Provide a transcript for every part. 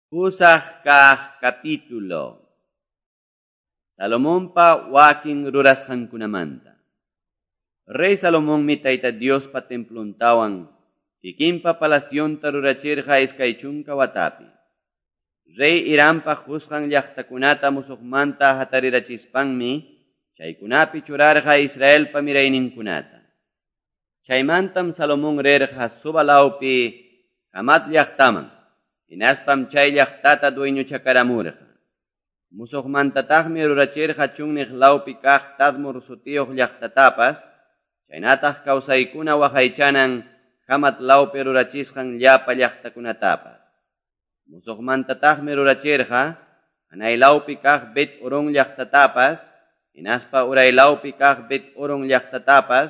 Pusaq kaq capítulo. Salomonpa wakin rurasqankunamanta. Rey Salomonmi Tayta Diospa templontawan kikinpa palacionta rurachirqa 20 watapi. Rey Hirampa qusqan llaqtakunata musuqmanta hatarirachispanmi chaykunapi churarqa Israelpa mirayninkunata. Chaymantam Salomón rirqa Soba lawpi Hamat llaqtaman. Hinaspam chay llaqtata dueñochakaramurqa. Musuqmantataqmi rurachirqa chunniq lawpi kaq Tadmor sutiyuq llaqtatapas, chaynataq kawsaykuna waqaychanan Hamat lawpi rurachisqan llapa llaqtakunatapas. Musuqmantataqmi rurachirqa hanay lawpi kaq Bet Horon llaqtatapas, hinaspa uray lawpi kaq Bet Horon llaqtatapas,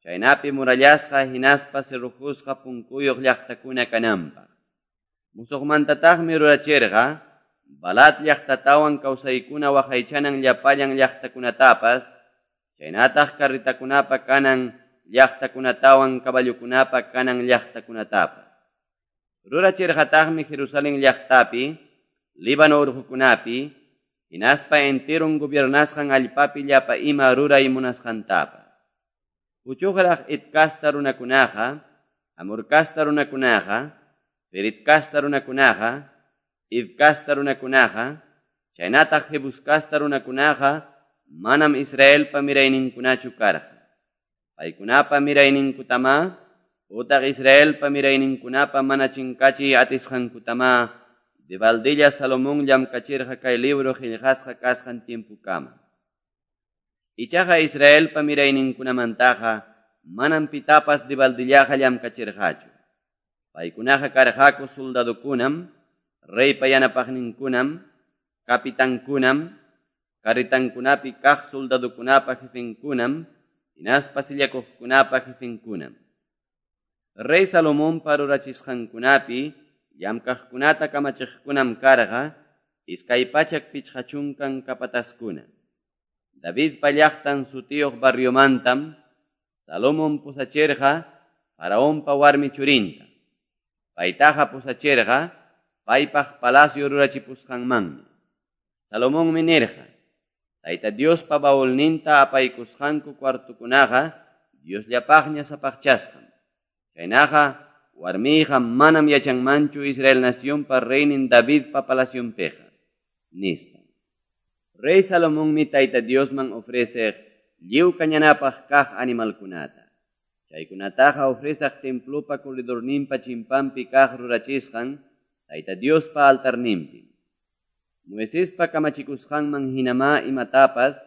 chaynapi murallasqa hinaspa cerrojusqa punkuyuq llaqtakuna kananpaq. Musuqmantataqmi rurachirqa Balat llaqtatawan kawsaykuna waqaychanan llapallan llaqtakunatapas, chaynataq carritakunapa kanan llaqtakunatawan caballokunapa kanan llaqtakunatapas. Rurachirqataqmi Jerusalén llaqtapi, Líbano urqukunapi, hinaspa enteron gobiernasqan allpapi llapa ima ruray munasqantapas. Puchuqraq Het kasta runakunaqa, Amor kasta runakunaqa, Ferit kasta runakunaqa, Hiv kasta runakunaqa, chaynataq Jebus kasta runakunaqa, manam Israelpa mirayninkunachu karqa. Paykunapa mirayninkutama, utaq Israelpa mirayninkunapa mana chinkachiy atisqankutama, debaldilla Salomón llamkachirqa kay libro qillqasqa kasqan tiempukama. Ichaqa Israelpa mirayninkunamantaqa manam pitapas debaldillaqa llamkachirqachu. Paykunaqa karqaku soldadokunam, reypa yanapaqninkunam, kapitankunam, carritankunapi kaq soldadokunapa jefenkunam, hinaspa sillakuqkunapa jefenkunam. Rey Salomonpa rurachisqankunapi llamkaqkunata kamachiqkunam karqa 250 capataskuna. Davidpa llaqtan sutiyuq barriomantam Salomón pusachirqa Faraonpa warmi churinta. Paytaqa pusachirqa paypaq palacio rurachipusqanmanmi. Salomonmi nirqa, Tayta Diospa baulninta apaykusqanku cuartukunaqa Diosllapaqña sapaqchasqam. Chaynaqa warmiyqa manam yachanmanchu Israel nacionpa reynin Davidpa palacionpiqa, nispa. Rey Salomonmi Tayta Diosman ofreceq lliw kañanapaq kaq animalkunata. Chaykunataqa ofrecaq templopa corredorninpa chimpanpi kaq rurachisqan Tayta Diospa altarninpi. Moisespa kamachikusqanman hinamá imatapas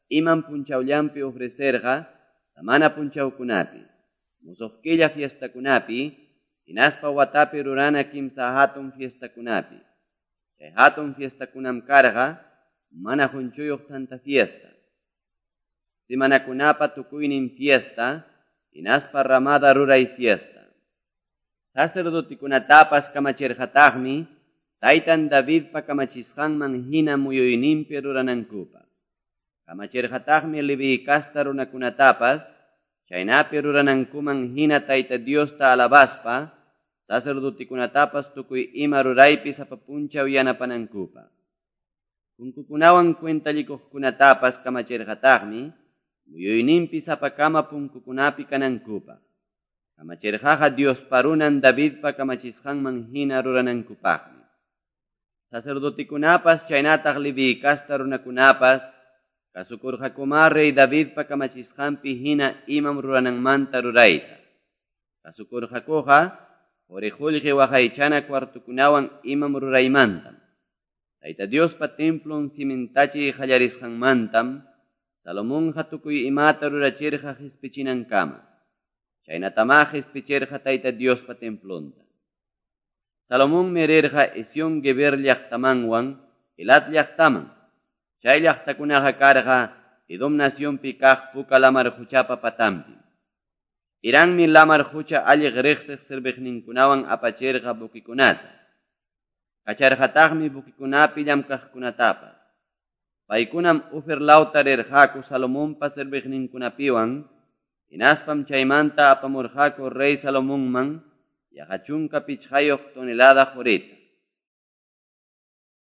imam punchawllanpi ofrecerqa samana punchawkunapi, musuq killa fiestakunapi, hinaspa watapi rurana kimsa hatun fiestakunapi. Chay hatun fiestakunam karqa mana junchuyuq tanta fiesta. Semanakunapa tukuynin fiesta, hinaspa ramada ruray fiesta. Sacerdotekunatapas kamachirqataqmi taytan Davidpa kamachisqanman hina muyuyninpi ruranankupaq. Kamachirqataqmi Leví kasta runakunatapas chaynapi ruranankuman hina Tayta Diosta alabaspa sacerdotekunatapas tukuy ima ruraypi sapa punchaw yanapanankupaq. Punkukunawan cuentallikuqkunatapas kamachirqataqmi muyuyninpi sapakama punkukunapi kanankupaq. Kamachirqaqa Diospa runan Davidpa kamachisqanman hina ruranankupaqmi. Sacerdotekunapas chaynataq Leví kasta runakunapas kasukurqakuma rey Davidpa kamachisqanpi hina imam rurananmanta rurayta. Kasukurqakuqa quri qullqi waqaychana cuartukunawan imam ruraymantam. Tayta Diospa templon cimentachiy qallarisqanmantam Salomonqa tukuy imata rurachirqa qispichinankama. Chaynatamá qispichirqa Tayta Diospa templonta. Salomonmi rirqa Ezión Geber llaqtamanwan Elat llaqtaman. Chay llaqtakunaqa karqa Edom nacionpi kaq Puka lamar quchapa patanpi. Hirammi lamar qucha alliq riqsiq serviqninkunawan apachirqa buquikunata. Kacharqataqmi buquikunapi llamkaqkunatapas. Paykunam Ofir lawta rirqaku Salomonpa serviqninkunapiwan, hinaspam chaymanta apamurqaku rey Salomonman yaqa 15 tonelada qurita.